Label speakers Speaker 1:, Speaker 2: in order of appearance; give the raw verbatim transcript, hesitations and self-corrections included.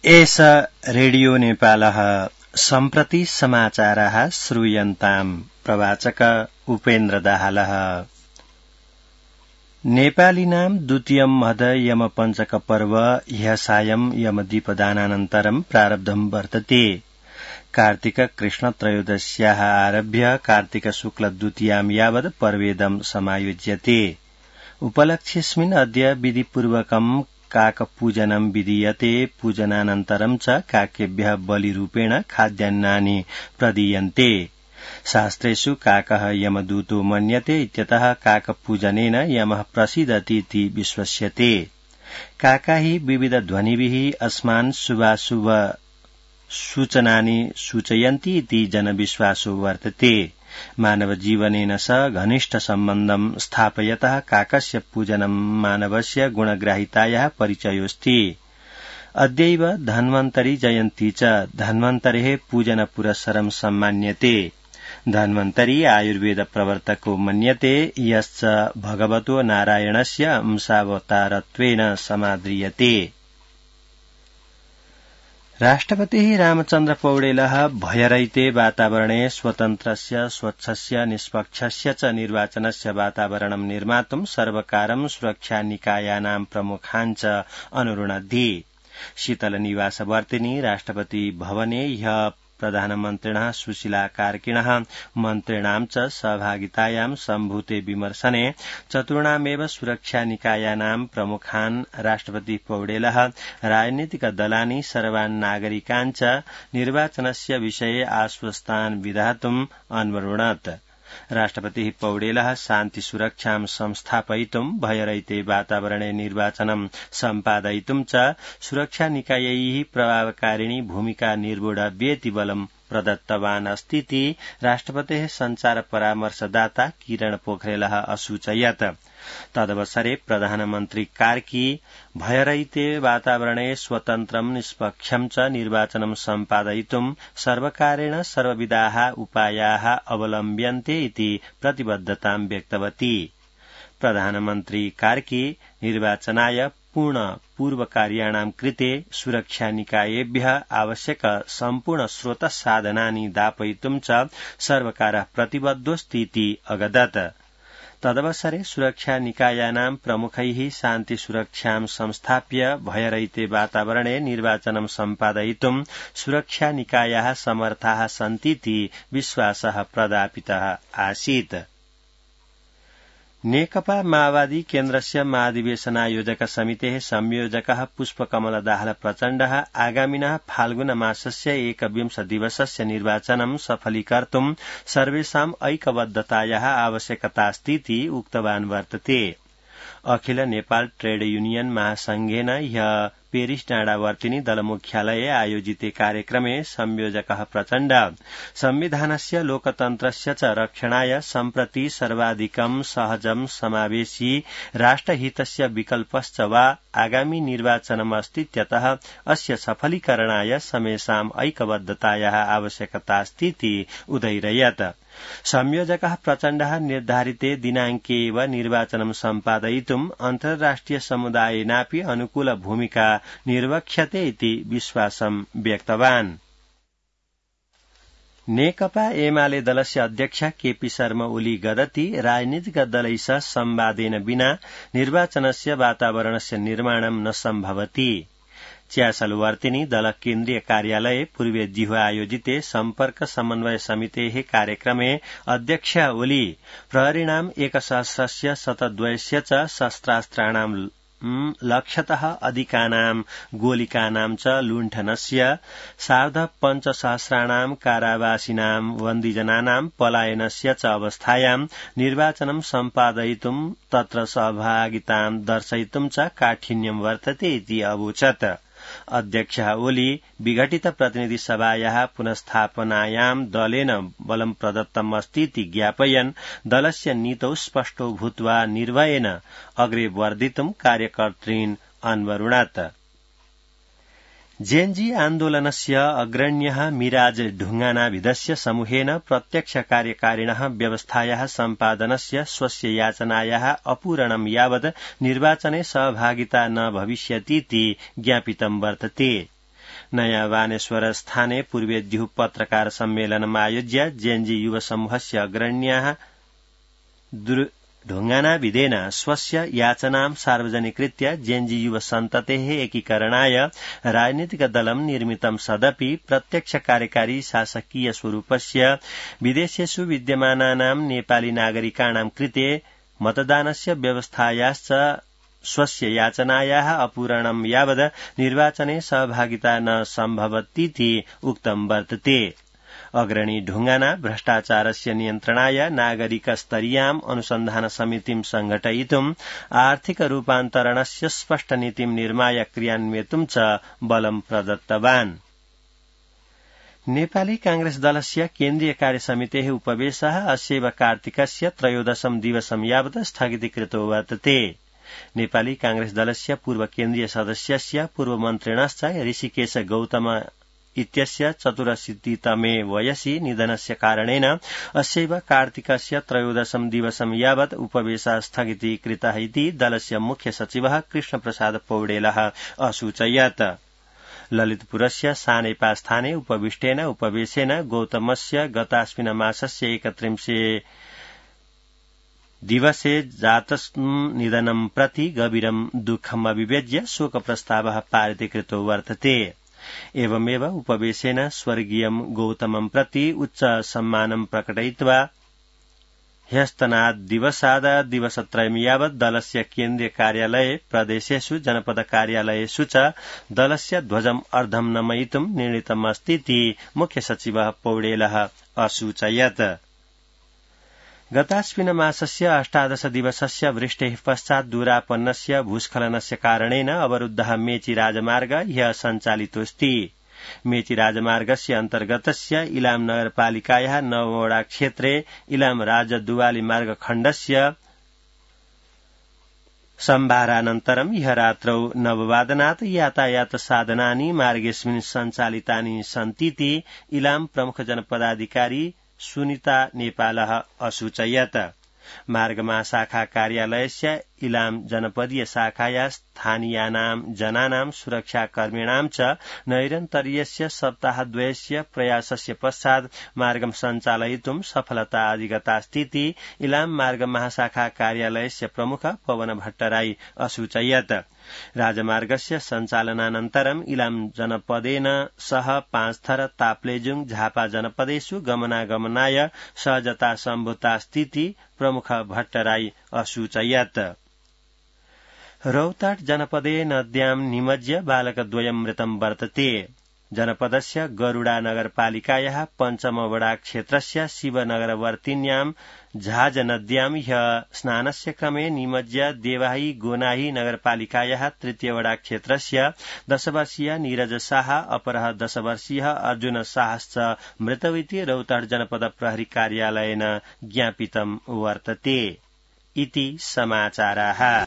Speaker 1: एष रेडियो नेपालः सम्प्रति समाचाराः श्रूयन्ताम्। प्रवाचक उपेन्द्र दाहालः। नेपालिनां द्वितीयं मद यमपञ्चक पर्व ह्यः सायं यमदीपदानानन्तरं प्रारब्धं वर्तते। कार्तिक कृष्ण त्रयोदश्याः आरभ्य कार्तिक शुक्ल द्वितीयां यावत् पर्वेदं समायोज्यते। उपलक्ष्येऽस्मिन् अद्य विधिपूर्वकं काकपूजनं विधीयते। पूजनानन्तरं च काकेभ्यः बलिरूपेण खाद्यान्नानि प्रदीयन्ते। शास्त्रेषु काकः यमदूतो मन्यते इत्यतः काकपूजनेन यमः प्रसीदतीति विश्वस्यते। काका हि विविधध्वनिभिः अस्मान् शुभाशुभ सूचनानि सूचयन्ति इति जनविश्वासो वर्तते। मानवजीवनेन सह घनिष्ठ सम्बन्धं स्थापयतः काकस्य पूजनं मानवस्य गुणग्राहितायाः परिचयोऽस्ति। अद्यैव धन्वन्तरी जयन्ती च धन्वन्तरेः पूजनपुरस्सरं सम्मान्यते। धन्वन्तरी आयुर्वेद प्रवर्तको मन्यते, यश्च भगवतो नारायणस्य अंशावतारत्वेन समाद्रियते। राष्ट्रपतिः रामचन्द्र पौडेलः भयरहिते वातावरणे स्वतन्त्रस्य स्वच्छस्य निष्पक्षस्य च निर्वाचनस्य वातावरणं निर्मातुं सर्वकारं सुरक्षानिकायानां प्रमुखान् च अनुरुणद्धि। शीतलनिवासवर्तिनि राष्ट्रपति भवने ह्यः प्रधानमन्त्रिणः सुशीला कार्किणः मन्त्रिणां च सहभागितायां सम्भूते विमर्शने चतुर्णामेव सुरक्षानिकायानां प्रमुखान् राष्ट्रपति पौडेलः राजनीतिकदलानि सर्वान् नागरिकान् च निर्वाचनस्य विषये आश्वस्तान् विधातुम् अन्वरुणत्। राष्ट्रपतिः पौडेलः शान्तिसुरक्षां संस्थापयितुं भयरहिते वातावरणे निर्वाचनं सम्पादयितुं च सुरक्षानिकायैः प्रभावकारिणी भूमिका निर्वोढव्येति बलं प्रदत्तवान् अस्तीति राष्ट्रपतेः सञ्चार परामर्शदाता किरण पोखरेलः असूचयत्। तदवसरे प्रधानमन्त्री कार्की भयरहिते वातावरणे स्वतन्त्रं निष्पक्षं च निर्वाचनं सम्पादयितुं सर्वकारेण सर्वविधाः उपायाः अवलम्ब्यन्ते इति प्रतिबद्धतां व्यक्तवती। प्रधानमन्त्री कार्की निर्वाचनाय पूर्ण पूर्वकार्याणां कृते सुरक्षानिकायेभ्यः आवश्यक सम्पूर्ण स्रोतसाधनानि दापयितुं च सर्वकारः प्रतिबद्धोऽस्तीति अगदत्। तदवसरे सुरक्षानिकायानां प्रमुखैः शान्तिसुरक्षां संस्थाप्य भयरहिते वातावरणे निर्वाचनं सम्पादयितुं सुरक्षानिकायाः समर्थाः सन्तीति विश्वासः प्रदापितः आसीत्। नेकपा माओवादी केन्द्रस्य महाधिवेशनायोजक समितेः संयोजकः पुष्पकमल दाहाल प्रचण्डः आगामिनः फाल्गुन मासस्य एकविंश दिवसस्य निर्वाचनं सफलीकर्तुं सर्वेषाम् ऐक्यबद्धतायाः आवश्यकतास्तीति उक्तवान् वर्तते। अखिल नेपाल ट्रेड यूनियन महासंघेन ह्यः पेरिस डाँडावर्तिनि दलमुख्यालये आयोजिते कार्यक्रमे संयोजकः प्रचण्ड संविधानस्य लोकतन्त्रस्य च रक्षणाय सम्प्रति सर्वाधिकं सहजं समावेशी राष्ट्रहितस्य विकल्पश्च वा आगामी निर्वाचनमस्तीत्यतः अस्य सफलीकरणाय समेषाम् ऐक्यबद्धतायाः आवश्यकतास्तीति उदैरयत्। संयोजकः प्रचण्डः निर्धारिते दिनाङ्के एव निर्वाचनं सम्पादयितुम् अन्ताराष्ट्रिय समुदायेनापि अनुकूल भूमिका निर्वक्ष्यते इति विश्वासं व्यक्तवान्। नेकपा एमाले दलस्य अध्यक्ष केपी शर्मा ओली गदति राजनीतिक दलैः सह संवादेन विना निर्वाचनस्य वातावरणस्य निर्माणं न सम्भवति। च्यासलवर्तिनि दल केन्द्रीय कार्यालये पूर्वेज्युः आयोजिते सम्पर्क समन्वय समितेः कार्यक्रमे अध्यक्ष ओली प्रहरीणाम् एकसहस्रस्य शतद्वयस्य च शस्त्रास्त्राणां लक्षतः अधिकानां गोलिकानां च लुण्ठनस्य सार्ध पञ्चसहस्राणां कारावासिनां बन्दीजनानां पलायनस्य च अवस्थायां निर्वाचनं सम्पादयितुं तत्र सहभागितां दर्शयितुं च काठिन्यं वर्तते इति अवोचत्। अध्यक्ष ओली विघटित प्रतिनिधि सभायाः पुनस्थापनायां दलेन बलं प्रदत्तम् अस्तीति ज्ञापयन् दलस्य नीतौ स्पष्टो भूत्वा निर्भयेन अग्रे वर्धितुं कार्यकर्तॄन् अन्वरुणत्। जेएनजी आन्दोलनस्य अग्रण्यः मिराज ढुङ्गानाभिधस्य समूहेन प्रत्यक्ष कार्यकारिणः व्यवस्थायाः सम्पादनस्य स्वस्य याचनायाः अपूरणं यावत् निर्वाचने सहभागिता न भविष्यतीति ज्ञापितं वर्तते। नयाँ वानेश्वर स्थाने पूर्वेद्युः पत्रकार सम्मेलनम् आयोज्य जेएनजी युव समूहस्य अग्रण्याः ढुङ्गानाविदेन स्वस्य याचनां सार्वजनिकृत्य जेएनजी युव सन्ततेः एकीकरणाय राजनीतिकदलं निर्मितं सदपि प्रत्यक्ष कार्यकारी शासकीय स्वरूपस्य विदेशेषु विद्यमानानां नेपाली नागरिकाणां कृते मतदानस्य व्यवस्थायाश्च स्वस्य याचनायाः अपूरणं यावद् निर्वाचने सहभागिता न सम्भवतीति उक्तं वर्तते। अग्रणी ढुङ्गाना भ्रष्टाचारस्य नियन्त्रणाय नागरिक स्तरीयाम् अनुसन्धान समितिं संघटयितुम् आर्थिक रूपान्तरणस्य स्पष्ट नीतिं निर्माय क्रियान्वेतुं च बलं प्रदत्तवान्। नेपाली कांग्रेस दलस्य केन्द्रीय कार्यसमितेः उपवेशः अस्यैव कार्तिकस्य त्रयोदशं दिवसं यावत् स्थगितीकृतो वर्तते। नेपाली कांग्रेस दलस्य पूर्व केन्द्रीय सदस्यस्य पूर्वमन्त्रिणश्च ऋषिकेश गौतम इत्यस्य चतुरशीतितमे वयसि निधनस्य कारणेन अस्यैव कार्तिकस्य त्रयोदशं दिवसं यावत् उपवेशः स्थगितीकृतः इति दलस्य मुख्य सचिवः कृष्णप्रसाद पौडेलः असूचयत्। ललितपुरस्य सानेपा स्थाने उपविष्टेन उपवेशेन गौतमस्य गतास्मिन् मासस्य एकत्रिंशे दिवसे जातम् निधनं प्रति गभीरं दुःखम् अभिव्यज्य शोकप्रस्तावः पारितीकृतो वर्तते। एवमेव उपवेशेन स्वर्गीयं गौतमं प्रति उच्च सम्मानं प्रकटयित्वा ह्यस्तनाद् दिवसाद दिवसत्रयं यावत् दलस्य केन्द्रीय कार्यालये प्रदेशेषु जनपद कार्यालयेषु च दलस्य ध्वजम् अर्धं नमयितुं निर्णीतमस्तीति मुख्य सचिवः पौडेलः असूचयत्। गतास्मिन् मासस्य अष्टादश दिवसस्य वृष्टेः पश्चात् दूरापन्नस्य भूस्खलनस्य कारणेन अवरुद्धः मेची राजमार्ग ह्यः सञ्चालितोऽस्ति। मेची राजमार्गस्य अन्तर्गतस्य इलाम नगरपालिकायाः नववडा क्षेत्रे इलाम राजदुवाली मार्ग खण्डस्य सम्भारानन्तरं ह्यः रात्रौ नववादनात् यातायात साधनानि मार्गेऽस्मिन् सञ्चालितानि सन्तीति इलाम प्रमुख जनपदाधिकारी सुनिता नेपालः असूचयत्। मार्गमा शाखा कार्यालयस्य इलाम जनपदीय शाखाया स्थानीयानां जनानां सुरक्षाकर्मिणां च नैरन्तर्यस्य सप्ताहद्वयस्य प्रयासस्य पश्चात् मार्गं सञ्चालयितुं सफलता अधिगतास्तीति इलाम मार्ग महाशाखा कार्यालयस्य प्रमुख पवन भट्टराई असूचयत्। राजमार्गस्य सञ्चालनानन्तरं इलाम जनपदेन सह पाँचथर ताप्लेजुङ झापा जनपदेषु गमनागमनाय सहजता सम्भूतास्तीति प्रमुख भट्टराई असूचयत्। रौताट जनपदे नद्यां निमज्य बालकद्वयं मृतं वर्तते। जनपदस्य गरुडा नगरपालिकायाः पञ्चमवडा क्षेत्रस्य शिवनगरवर्तिन्यां झाज नद्यां ह्यः स्नानस्य क्रमे निमज्य देवाही गोनाही नगरपालिकायाः तृतीयवडा क्षेत्रस्य दशवर्षीय नीरज शाह अपरः दशवर्षीयः अर्जुन शाहश्च मृतौ इति रौताट जनपद प्रहरी कार्यालयेन ज्ञापितं वर्तते। इति समाचाराः।